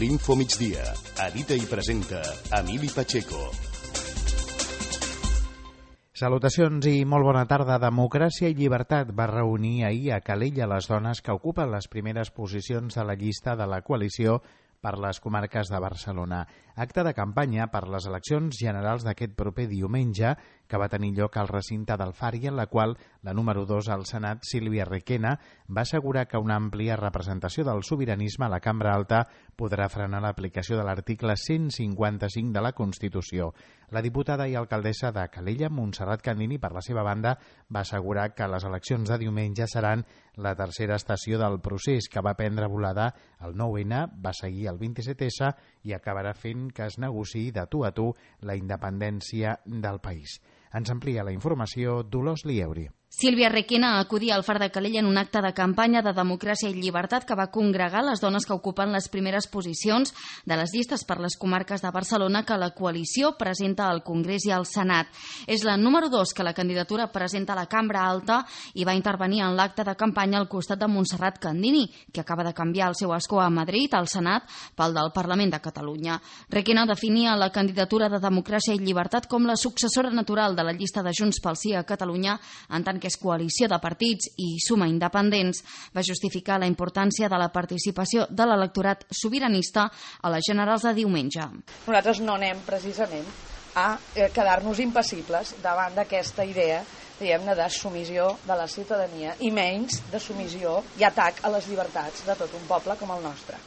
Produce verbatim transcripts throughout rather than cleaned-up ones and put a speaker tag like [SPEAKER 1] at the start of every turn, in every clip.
[SPEAKER 1] L'Info Migdia. Edita i presenta Emili Pacheco.
[SPEAKER 2] Salutacions i molt bona tarda. Democràcia i Llibertat va reunir ahir a Calella les dones que ocupen les primeres posicions de la llista de la coalició per les comarques de Barcelona. Acte de campanya per les eleccions generals d'aquest proper diumenge que va tenir lloc al recinte del Fari, en la qual la número dos al Senat, Sílvia Requena, va assegurar que una àmplia representació del sobiranisme a la Cambra Alta podrà frenar l'aplicació de l'article cent cinquanta-cinc de la Constitució. La diputada i alcaldessa de Calella, Montserrat Candini, per la seva banda, va assegurar que les eleccions de diumenge seran la tercera estació del procés que va prendre volada el nou ene, va seguir el vint-i-set esse i acabarà fent que es negociï de tu a tu la independència del país. Ens amplia la informació Dolors Lieuri.
[SPEAKER 3] Sílvia Requena acudia al Far de Calella en un acte de campanya de Democràcia i Llibertat que va congregar les dones que ocupen les primeres posicions de les llistes per les comarques de Barcelona que la coalició presenta al Congrés i al Senat. És la número dos que la candidatura presenta a la Cambra Alta i va intervenir en l'acte de campanya al costat de Montserrat Candini, que acaba de canviar el seu escó a Madrid, al Senat, pel del Parlament de Catalunya. Requena definia la candidatura de Democràcia i Llibertat com la successora natural de la llista de Junts pel Sí a Catalunya, en tant que és coalició de partits i suma independents. Va justificar la importància de la participació de l'electorat sobiranista a les generals de diumenge.
[SPEAKER 4] Nosaltres no anem precisament a quedar-nos impassibles davant d'aquesta idea, diguem-ne, de submissió de la ciutadania i menys de submissió i atac a les llibertats de tot un poble com el nostre.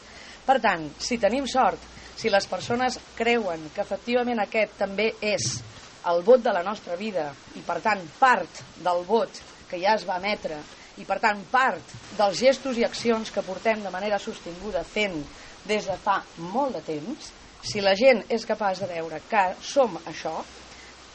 [SPEAKER 4] Per tant, si tenim sort, si les persones creuen que efectivament aquest també és el vot de la nostra vida i, per tant, part del vot que ja es va emetre i, per tant, part dels gestos i accions que portem de manera sostinguda fent des de fa molt de temps, si la gent és capaç de veure que som això,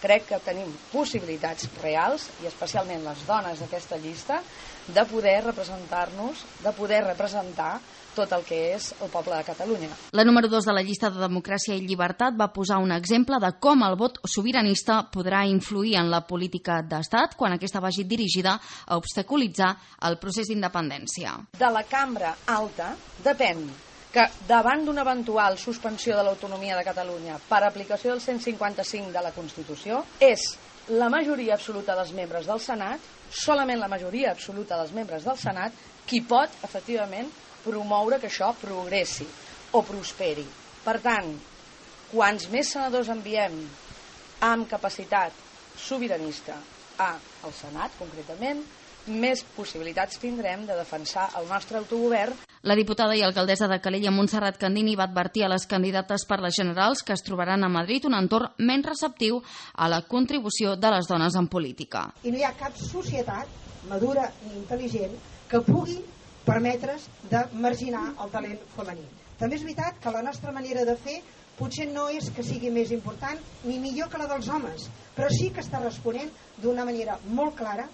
[SPEAKER 4] crec que tenim possibilitats reals, i especialment les dones d'aquesta llista, de poder representar-nos, de poder representar tot el que és el poble de Catalunya.
[SPEAKER 3] La número dos de la llista de Democràcia i Llibertat va posar un exemple de com el vot sobiranista podrà influir en la política d'Estat quan aquesta vagi dirigida a obstaculitzar el procés d'independència.
[SPEAKER 4] De la Cambra Alta depèn que davant d'una eventual suspensió de l'autonomia de Catalunya per aplicació del cent cinquanta-cinc de la Constitució és la majoria absoluta dels membres del Senat, solament la majoria absoluta dels membres del Senat, qui pot, efectivament, promoure que això progressi o prosperi. Per tant, quants més senadors enviem amb capacitat sobiranista al Senat, concretament, més possibilitats tindrem de defensar el nostre autogovern.
[SPEAKER 3] La diputada i alcaldessa de Calella, Montserrat Candini, va advertir a les candidates per les generals que es trobaran a Madrid un entorn menys receptiu a la contribució de les dones en política.
[SPEAKER 5] I no hi ha cap societat madura ni intel·ligent que pugui permetre's de marginar el talent femení. També és veritat que la nostra manera de fer potser no és que sigui més important ni millor que la dels homes, però sí que està responent d'una manera molt clara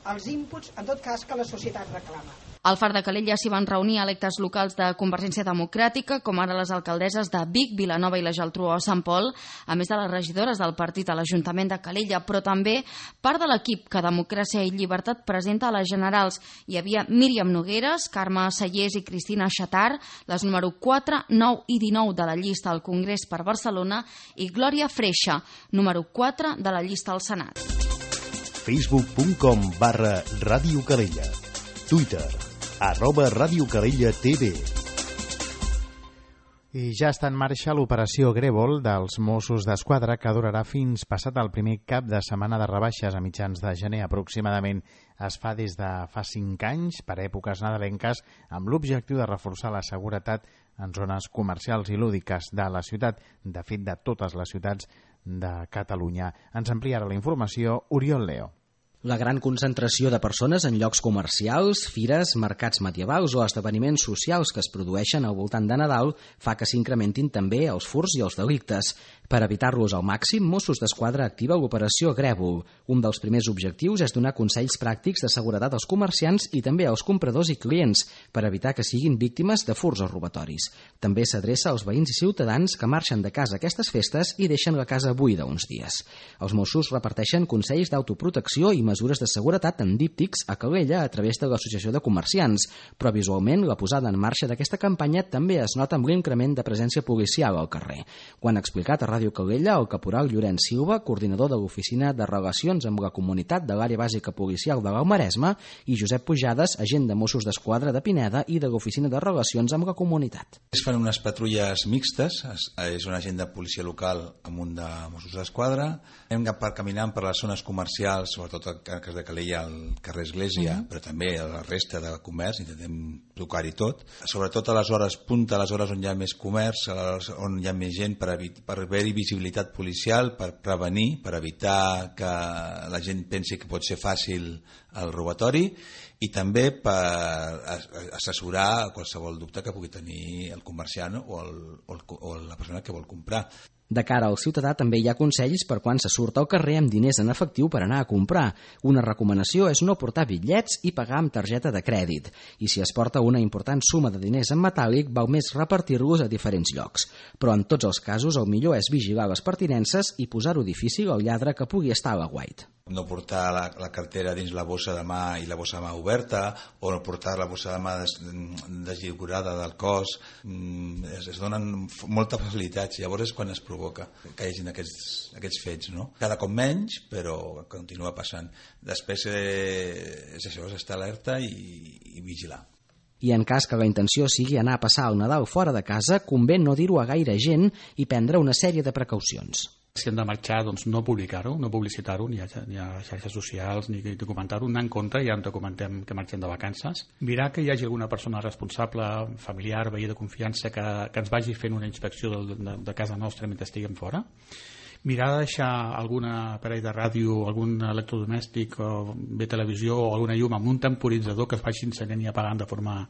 [SPEAKER 5] als inputs, en tot cas, que la societat reclama.
[SPEAKER 3] Al Far de Calella s'hi van reunir electes locals de Convergència Democràtica, com ara les alcaldesses de Vic, Vilanova i la Geltrú o Sant Pol, a més de les regidores del partit a l'Ajuntament de Calella, però també part de l'equip que Democràcia i Llibertat presenta a les generals. Hi havia Míriam Nogueres, Carme Sallés i Cristina Xatar, les número quatre, nou i dinou de la llista al Congrés per Barcelona, i Glòria Freixa, número quatre de la llista al Senat.
[SPEAKER 1] facebook punt com barra Ràdio Calella. Twitter, arroba Ràdio Calella T V.
[SPEAKER 2] I ja està en marxa l'operació Grèvol dels Mossos d'Esquadra, que durarà fins passat el primer cap de setmana de rebaixes a mitjans de gener aproximadament. Es fa des de fa cinc anys, per èpoques nadalenques, amb l'objectiu de reforçar la seguretat en zones comercials i lúdiques de la ciutat, de fet de totes les ciutats de Catalunya. Ens ampliarà la informació Oriol Leo.
[SPEAKER 6] La gran concentració de persones en llocs comercials, fires, mercats medievals o esdeveniments socials que es produeixen al voltant de Nadal fa que s'incrementin també els furts i els delictes. Per evitar-los al màxim, Mossos d'Esquadra activa l'operació Grèvol. Un dels primers objectius és donar consells pràctics de seguretat als comerciants i també als compradors i clients per evitar que siguin víctimes de furts o robatoris. També s'adreça als veïns i ciutadans que marxen de casa aquestes festes i deixen la casa buida uns dies. Els Mossos reparteixen consells d'autoprotecció i mesures mesures de seguretat en díptics a Calella a través de l'Associació de Comerciants, però visualment la posada en marxa d'aquesta campanya també es nota amb l'increment de presència policial al carrer. Ho han explicat a Ràdio Calella el caporal Llorenç Silva, coordinador de l'Oficina de Relacions amb la Comunitat de l'Àrea Bàsica Policial de l'Alt Maresme, i Josep Pujades, agent de Mossos d'Esquadra de Pineda i de l'Oficina de Relacions amb la Comunitat.
[SPEAKER 7] Es fan unes patrulles mixtes, és un agent de policia local amb un de Mossos d'Esquadra. Hem per caminant per les zones comercials, sobretot al cas de Calella, al carrer Església, uh-huh. però també a la resta de comerç, intentem tocar-hi tot. Sobretot a les hores punta, a les hores on hi ha més comerç, on hi ha més gent, per, per haver-hi visibilitat policial, per prevenir, per evitar que la gent pensi que pot ser fàcil el robatori, i també per assessorar qualsevol dubte que pugui tenir el comerciant o, el, o, el, o la persona que vol comprar.
[SPEAKER 6] De cara al ciutadà també hi ha consells per quan se surt al carrer amb diners en efectiu per anar a comprar. Una recomanació és no portar bitllets i pagar amb targeta de crèdit. I si es porta una important suma de diners en metàl·lic, val més repartir-los a diferents llocs. Però en tots els casos el millor és vigilar les pertinences i posar-ho difícil al lladre que pugui estar a l'aguait.
[SPEAKER 7] No portar la, la cartera dins la bossa de mà i la bossa de mà oberta, o no portar la bossa de mà des, deslligurada del cos. Es, es donen moltes facilitats, llavors és quan es provoca que hi hagi aquests, aquests fets, no? Cada cop menys, però continua passant. Després eh, és això, és estar alerta i, i vigilar.
[SPEAKER 6] I en cas que la intenció sigui anar a passar el Nadal fora de casa, convé no dir-ho a gaire gent i prendre una sèrie de precaucions.
[SPEAKER 8] Si hem de marxar, doncs no publicar-ho, no publicitar-ho, ni a, ni a xarxes socials, ni documentar-ho, anar en contra, ja en documentem que marxem de vacances. Mirar que hi hagi alguna persona responsable, familiar, veí de confiança, que, que ens vagi fent una inspecció de, de, de casa nostra mentre estiguem fora. Mirar de deixar algun aparell de ràdio, algun electrodomèstic, o bé televisió o alguna llum amb un temporitzador que es vagi encenent i apagant de forma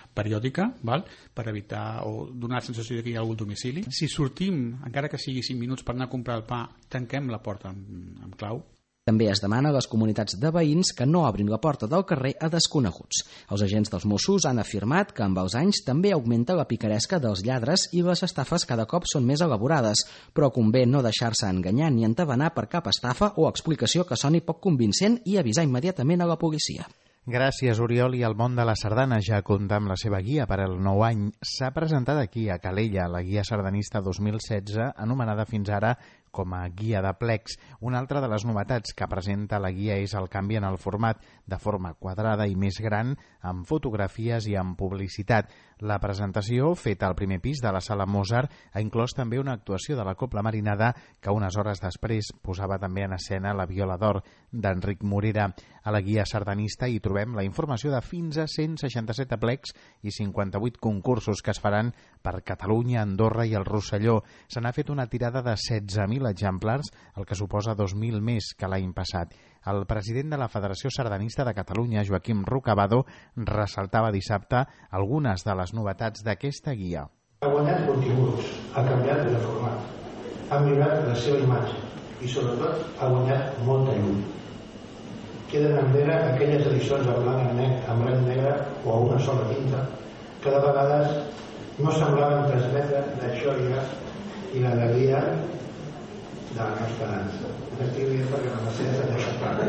[SPEAKER 8] periòdica, val? Per evitar o donar la sensació que hi ha algun domicili. Si sortim, encara que sigui cinc minuts per anar a comprar el pa, tanquem la porta amb, amb clau.
[SPEAKER 6] També es demana a les comunitats de veïns que no obrin la porta del carrer a desconeguts. Els agents dels Mossos han afirmat que amb els anys també augmenta la picaresca dels lladres i les estafes cada cop són més elaborades, però convé no deixar-se enganyar ni entabanar per cap estafa o explicació que soni poc convincent i avisar immediatament a la policia.
[SPEAKER 2] Gràcies, Oriol. I el món de la sardana ja compta amb la seva guia per al nou any. S'ha presentat aquí, a Calella, la guia sardanista dos mil setze, anomenada fins ara com a guia de plecs. Una altra de les novetats que presenta la guia és el canvi en el format, de forma quadrada i més gran, amb fotografies i amb publicitat. La presentació, feta al primer pis de la Sala Mozart, ha inclòs també una actuació de la Cobla Marinada que unes hores després posava també en escena la Viola d'Or d'Enric Morera. A la guia sardanista hi trobem la informació de fins a cent seixanta-set aplecs i cinquanta-vuit concursos que es faran per Catalunya, Andorra i el Rosselló. Se n'ha fet una tirada de setze mil exemplars, el que suposa dos mil més que l'any passat. El president de la Federació Sardanista de Catalunya, Joaquim Rocabado, ressaltava dissabte algunes de les novetats d'aquesta guia.
[SPEAKER 9] Ha guanyat continguts, ha canviat de format, ha millorat la seva imatge i sobretot ha guanyat molta llum. Queden enrere aquelles edicions en blanc i negre, en blanc i negre o a una sola tinta que de vegades no semblaven transmetre la joia i l'alegria de la nostra dansa. Estic dient perquè la Mercedes ha deixat part.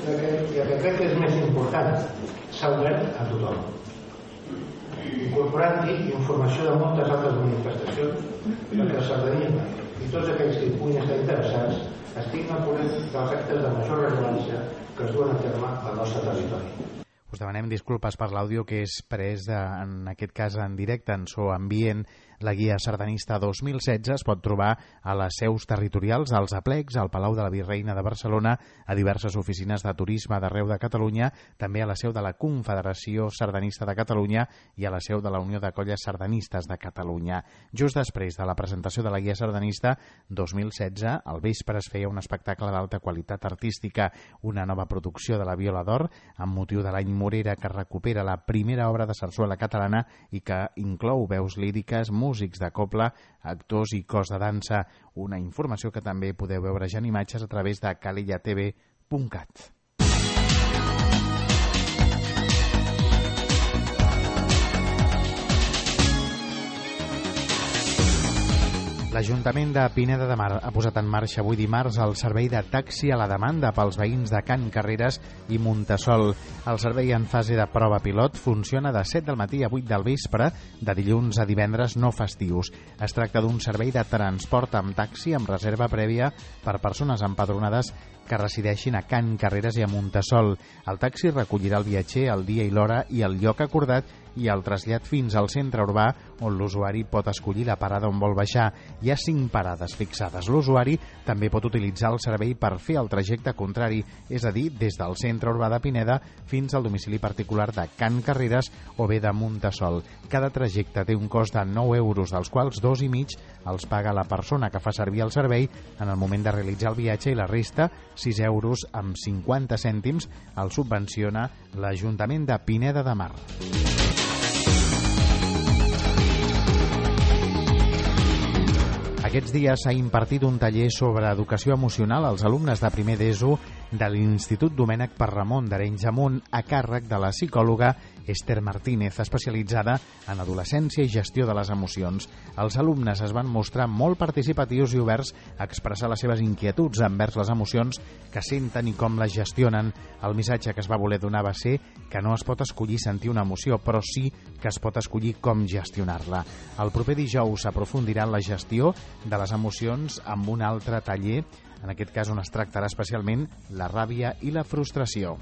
[SPEAKER 9] I el que crec que és més important, s'ha obert a tothom, incorporant-hi informació de moltes altres manifestacions perquè el sardanisme i tots aquells que hi puguin estar interessats estiguin al corrent dels actes de major rellevància que es duen a terme al nostre territori.
[SPEAKER 2] Us demanem disculpes per l'àudio que és pres, en aquest cas en directe, en so ambient. La guia sardanista dos mil setze es pot trobar a les seus territorials, als aplecs, al Palau de la Virreina de Barcelona, a diverses oficines de turisme d'arreu de Catalunya, també a la seu de la Confederació Sardanista de Catalunya i a la seu de la Unió de Colles Sardanistes de Catalunya. Just després de la presentació de la guia sardanista dos mil setze, al vespre es feia un espectacle d'alta qualitat artística, una nova producció de la Viola d'Or, amb motiu de l'any Morera, que recupera la primera obra de sarsuela catalana i que inclou veus líriques, músics de cobla, actors i cos de dansa. Una informació que també podeu veure ja en imatges a través de calella t v punt cat. La L'Ajuntament de Pineda de Mar ha posat en marxa avui dimarts el servei de taxi a la demanda pels veïns de Can Carreres i Muntasol. El servei en fase de prova pilot funciona de set del matí a vuit del vespre, de dilluns a divendres no festius. Es tracta d'un servei de transport amb taxi amb reserva prèvia per persones empadronades que resideixin a Can Carreres i a Muntasol. El taxi recollirà el viatger el dia i l'hora i el lloc acordat i el trasllat fins al centre urbà, on l'usuari pot escollir la parada on vol baixar. Hi ha cinc parades fixades. L'usuari també pot utilitzar el servei per fer el trajecte contrari, és a dir, des del centre urbà de Pineda fins al domicili particular de Can Carreres o bé de Muntasol. Cada trajecte té un cost de nou euros, dels quals dos i mig els paga la persona que fa servir el servei en el moment de realitzar el viatge i la resta, sis euros amb cinquanta cèntims, el subvenciona l'Ajuntament de Pineda de Mar. Aquests dies s'ha impartit un taller sobre educació emocional als alumnes de primer d'ESO de l'Institut Domènec Parramon d'Arenys de Munt, a càrrec de la psicòloga Esther Martínez, especialitzada en adolescència i gestió de les emocions. Els alumnes es van mostrar molt participatius i oberts a expressar les seves inquietuds envers les emocions que senten i com les gestionen. El missatge que es va voler donar va ser que no es pot escollir sentir una emoció, però sí que es pot escollir com gestionar-la. El proper dijous s'aprofundirà en la gestió de les emocions amb un altre taller, en aquest cas on es tractarà especialment la ràbia i la frustració.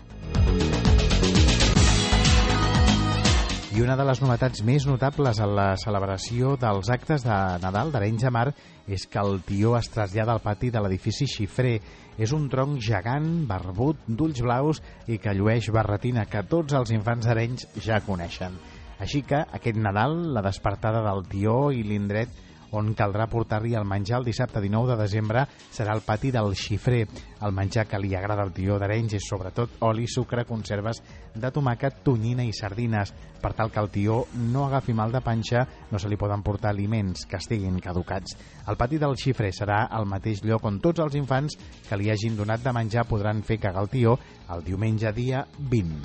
[SPEAKER 2] I una de les novetats més notables en la celebració dels actes de Nadal d'Arenys de Mar és que el tió es trasllada al pati de l'edifici Xifré. És un tronc gegant, barbut, d'ulls blaus i que llueix barretina que tots els infants d'Arenys ja coneixen. Així que aquest Nadal, la despertada del tió i l'indret on caldrà portar-hi el menjar el dissabte dinou de desembre serà el pati del Xifré. El menjar que li agrada al tió d'Arenys és sobretot oli, sucre, conserves de tomàquet, tonyina i sardines. Per tal que el tió no agafi mal de panxa, no se li poden portar aliments que estiguin caducats. El pati del Xifré serà el mateix lloc on tots els infants que li hagin donat de menjar podran fer cagar el tió el diumenge dia vint.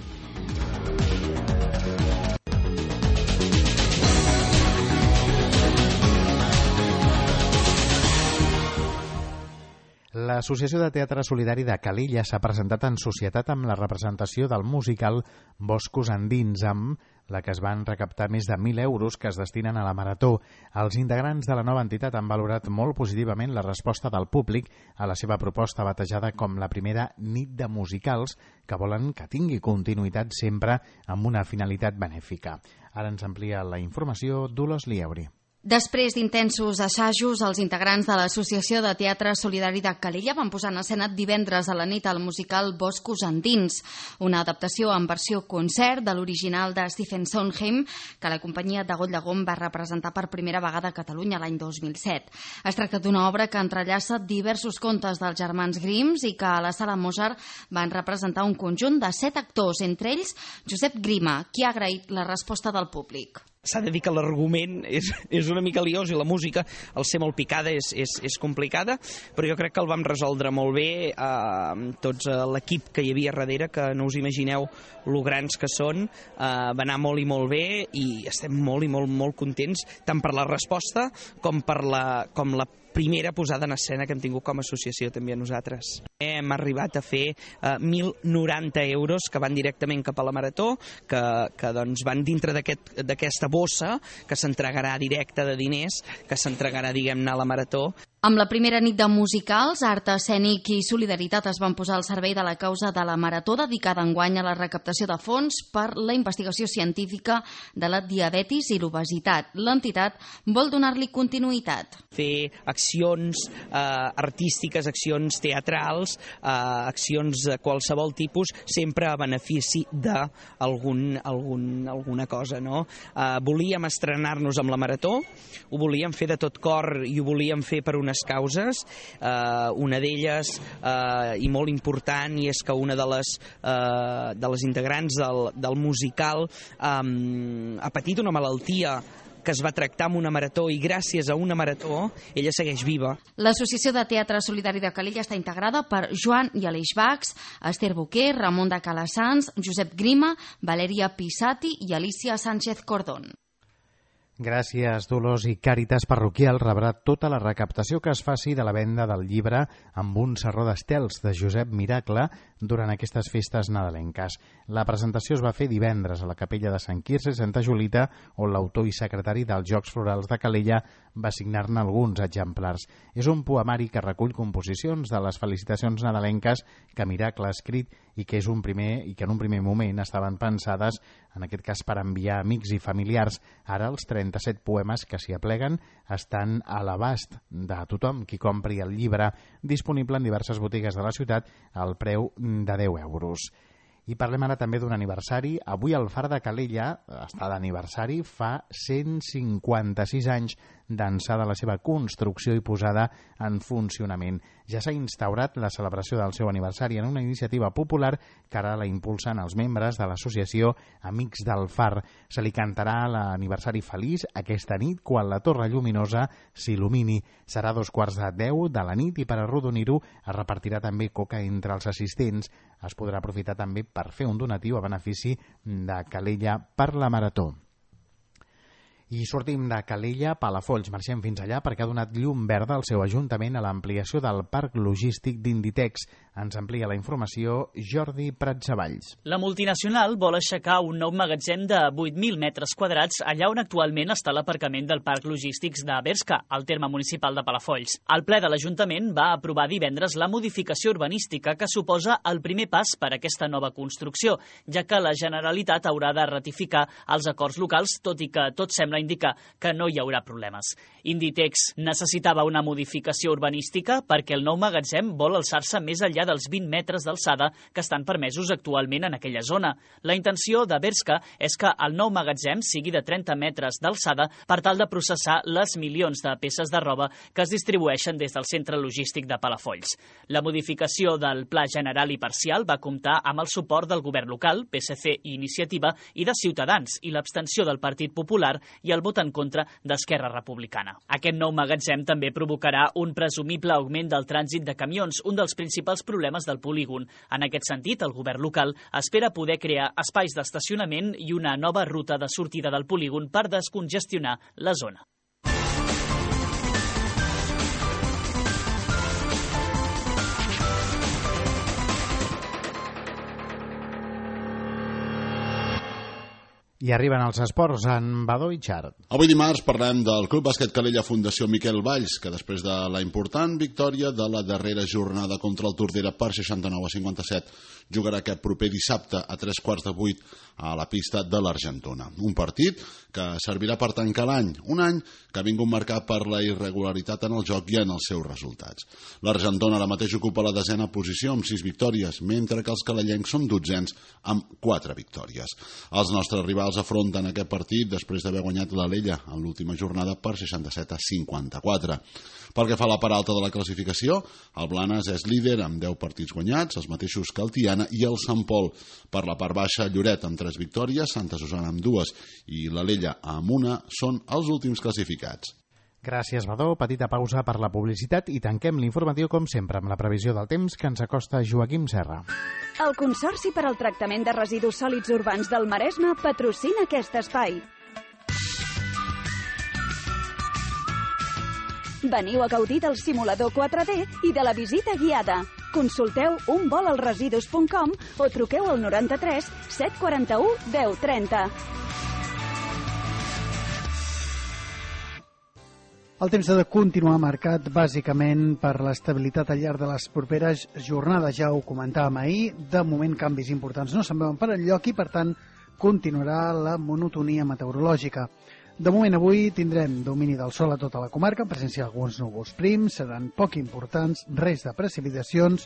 [SPEAKER 2] L'Associació de Teatre Solidari de Calella s'ha presentat en societat amb la representació del musical Boscos Endins, amb la que es van recaptar més de mil euros que es destinen a la Marató. Els integrants de la nova entitat han valorat molt positivament la resposta del públic a la seva proposta batejada com la primera nit de musicals, que volen que tingui continuïtat sempre amb una finalitat benèfica. Ara ens amplia la informació Dolors Lieuri.
[SPEAKER 3] Després d'intensos assajos, els integrants de l'Associació de Teatre Solidari de Calella van posar en escena divendres a la nit el musical Boscos Endins, una adaptació en versió concert de l'original de Stephen Sondheim, que la companyia de Goll Llegom va representar per primera vegada a Catalunya l'any dos mil set. Es tracta d'una obra que entrellaça diversos contes dels germans Grimms i que a la Sala Mozart van representar un conjunt de set actors, entre ells Josep Grima, qui ha agraït la resposta del públic.
[SPEAKER 10] S'ha de dir que l'argument és, és una mica liós i la música, al ser molt picada, és, és, és complicada, però jo crec que el vam resoldre molt bé eh, tots eh, l'equip que hi havia darrere, que no us imagineu lo grans que són, eh, va anar molt i molt bé i estem molt i molt, molt contents, tant per la resposta com per la, com la primera posada en escena que hem tingut com a associació també a nosaltres. Hem arribat a fer eh, mil noranta euros que van directament cap a la Marató, que, que doncs van dintre d'aquesta aquest, bossa que s'entregarà directa de diners, que s'entregarà, diguem-ne, a la Marató.
[SPEAKER 3] Amb la primera nit de musicals, art escènic i solidaritat es van posar al servei de la causa de la Marató, dedicada enguany a la recaptació de fons per la investigació científica de la diabetis i l'obesitat. L'entitat vol donar-li continuïtat.
[SPEAKER 10] Fer accions eh, artístiques, accions teatrals, eh, accions de qualsevol tipus, sempre a benefici d'algun algun, alguna cosa, no? Eh, volíem estrenar-nos amb la Marató, ho volíem fer de tot cor i ho volíem fer per unes causes, eh, una d'elles eh, i molt important, i és que una de les, eh, de les integrants del, del musical eh, ha patit una malaltia que es va tractar amb una marató i gràcies a una marató ella segueix viva.
[SPEAKER 3] L'Associació de Teatre Solidari de Calella està integrada per Joan i Aleix Bax, Esther Boquer, Ramon de Calassans, Josep Grima, Valeria Pisati i Alicia Sánchez Cordón.
[SPEAKER 2] Gràcies, Dolors. I Càritas Parroquial rebrà tota la recaptació que es faci de la venda del llibre Amb un serró d'estels, de Josep Miracle, durant aquestes festes nadalenques. La presentació es va fer divendres a la capella de Sant Quirze i Santa Julita, on l'autor i secretari dels Jocs Florals de Calella va signar-ne alguns exemplars. És un poemari que recull composicions de les felicitacions nadalenques que Miracle ha escrit i que, és un primer, i que en un primer moment estaven pensades, en aquest cas per enviar amics i familiars. Ara els trenta-set poemes que s'hi apleguen estan a l'abast de tothom qui compri el llibre, disponible en diverses botigues de la ciutat al preu de deu euros. I parlem ara també d'un aniversari. Avui el Far de Calella està d'aniversari, fa cent cinquanta-sis anys d'ençà de la seva construcció i posada en funcionament. Ja s'ha instaurat la celebració del seu aniversari en una iniciativa popular que ara la impulsen els membres de l'associació Amics del Far. Se li cantarà l'aniversari feliç aquesta nit quan la torre lluminosa s'il·lumini. Serà a dos quarts de deu de la nit i per arrodonir-ho es repartirà també coca entre els assistents. Es podrà aprofitar també per fer un donatiu a benefici de Calella per la Marató. I sortim de Calella, Palafolls, marxem fins allà perquè ha donat llum verda al seu ajuntament a l'ampliació del parc logístic d'Inditex. Ens amplia la informació Jordi Pratsavalls.
[SPEAKER 11] La multinacional vol aixecar un nou magatzem de vuit mil metres quadrats allà on actualment està l'aparcament del parc logístics de Berska, al terme municipal de Palafolls. El ple de l'Ajuntament va aprovar divendres la modificació urbanística que suposa el primer pas per a aquesta nova construcció, ja que la Generalitat haurà de ratificar els acords locals, tot i que tot sembla indica que no hi haurà problemes. Inditex necessitava una modificació urbanística perquè el nou magatzem vol alçar-se més enllà dels vint metres d'alçada que estan permesos actualment en aquella zona. La intenció de Berska és que el nou magatzem sigui de trenta metres d'alçada per tal de processar les milions de peces de roba que es distribueixen des del centre logístic de Palafolls. La modificació del Pla General i Parcial va comptar amb el suport del govern local, P S C i Iniciativa, i de Ciutadans, i l'abstenció del Partit Popular i el vot en contra d'Esquerra Republicana. Aquest nou magatzem també provocarà un presumible augment del trànsit de camions, un dels principals problemes del polígon. En aquest sentit, el govern local espera poder crear espais d'estacionament i una nova ruta de sortida del polígon per descongestionar la zona.
[SPEAKER 2] I arriben els esports en Badó i Xart.
[SPEAKER 12] Avui dimarts parlem del Club Bàsquet Calella Fundació Miquel Valls, que després de la important victòria de la darrera jornada contra el Tordera per seixanta-nou a cinquanta-set, jugarà aquest proper dissabte a tres quarts de vuit a la pista de l'Argentona. Un partit que servirà per tancar l'any, un any que ha vingut marcat per la irregularitat en el joc i en els seus resultats. L'Argentona ara mateix ocupa la desena posició amb sis victòries, mentre que els calellencs són dotzens amb quatre victòries. Els nostres rivals afronten aquest partit després d'haver guanyat l'Alella en l'última jornada per seixanta-set a cinquanta-quatre. Pel que fa a la part alta de la classificació, el Blanes és líder amb deu partits guanyats, els mateixos que el Tiana i el Sant Pol. Per la part baixa, Lloret amb tres victòries, Santa Susana amb dues i l'Alella amb una són els últims classificats.
[SPEAKER 2] Gràcies, Badó. Petita pausa per la publicitat i tanquem l'informatiu, com sempre, amb la previsió del temps que ens acosta Joaquim Serra.
[SPEAKER 13] El Consorci per al Tractament de Residus Sòlids Urbans del Maresme patrocina aquest espai. Veniu a gaudir del simulador quatre D i de la visita guiada. Consulteu un vol als residus punt com o truqueu al noranta-tres set quaranta-u deu trenta.
[SPEAKER 14] El temps ha de continuar marcat bàsicament per l'estabilitat al llarg de les properes jornades. Ja ho comentàvem ahir, de moment canvis importants no se'n veuen per enlloc i per tant continuarà la monotonia meteorològica. De moment avui tindrem domini del sol a tota la comarca, presència d'alguns núvols prims, seran poc importants, res de precipitacions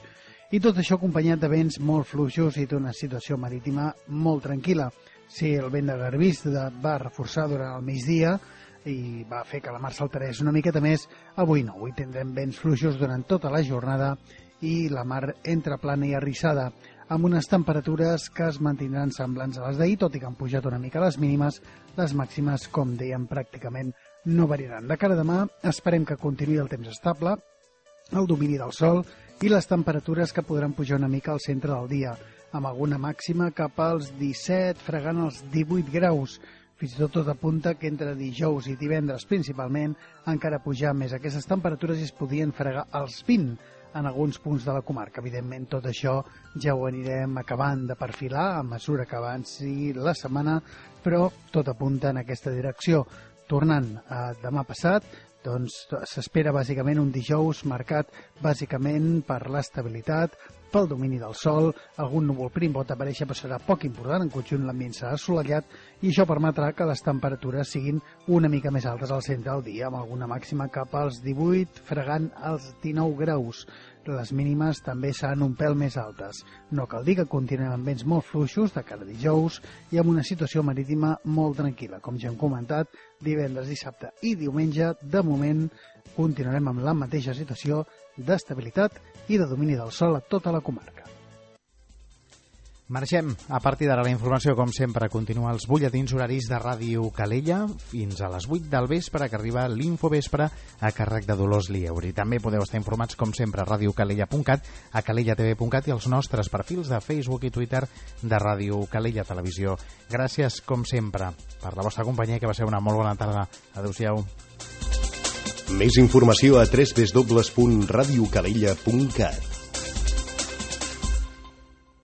[SPEAKER 14] i tot això acompanyat de vents molt fluixos i d'una situació marítima molt tranquil·la. Si el vent de garbís va reforçar durant el migdia i va fer que la mar s'alterés una miqueta més, avui no, avui tindrem vents fluixos durant tota la jornada i la mar entre plana i arrissada, amb unes temperatures que es mantindran semblants a les d'ahir, tot i que han pujat una mica les mínimes, les màximes, com dèiem, pràcticament no variaran. De cara a demà, esperem que continuï el temps estable, el domini del sol i les temperatures que podran pujar una mica al centre del dia, amb alguna màxima cap als disset, fregant els divuit graus. Fins i tot tot apunta que entre dijous i divendres principalment encara pujar més aquestes temperatures i es podien fregar els vint en alguns punts de la comarca. Evidentment, tot això ja ho anirem acabant de perfilar a mesura que avanci la setmana, però tot apunta en aquesta direcció. Tornant a demà passat, doncs s'espera bàsicament un dijous marcat bàsicament per l'estabilitat, pel domini del sol, algun núvol prim pot aparèixer però serà poc important, en conjunt l'ambient serà assolellat i això permetrà que les temperatures siguin una mica més altes al centre del dia, amb alguna màxima cap als divuit, fregant els dinou graus. Les mínimes també seran un pèl més altes. No cal dir que continuem amb vents molt fluixos de cara a dijous i amb una situació marítima molt tranquil·la. Com ja hem comentat, divendres, dissabte i diumenge, de moment, continuarem amb la mateixa situació d'estabilitat i de domini del sol a tota la comarca.
[SPEAKER 2] Marxem a partir d'ara la informació, com sempre, continua els butlletins horaris de Ràdio Calella fins a les vuit del vespre, que arriba l'Infovespre a càrrec de Dolors Lieuri. També podeu estar informats, com sempre, a radiocalella punt cat, a calella t v punt cat i als nostres perfils de Facebook i Twitter de Ràdio Calella Televisió. Gràcies, com sempre, per la vostra companyia, que va ser una molt bona tarda. Adéu-siau.
[SPEAKER 1] Més informació a w w w punt radiocalella punt cat.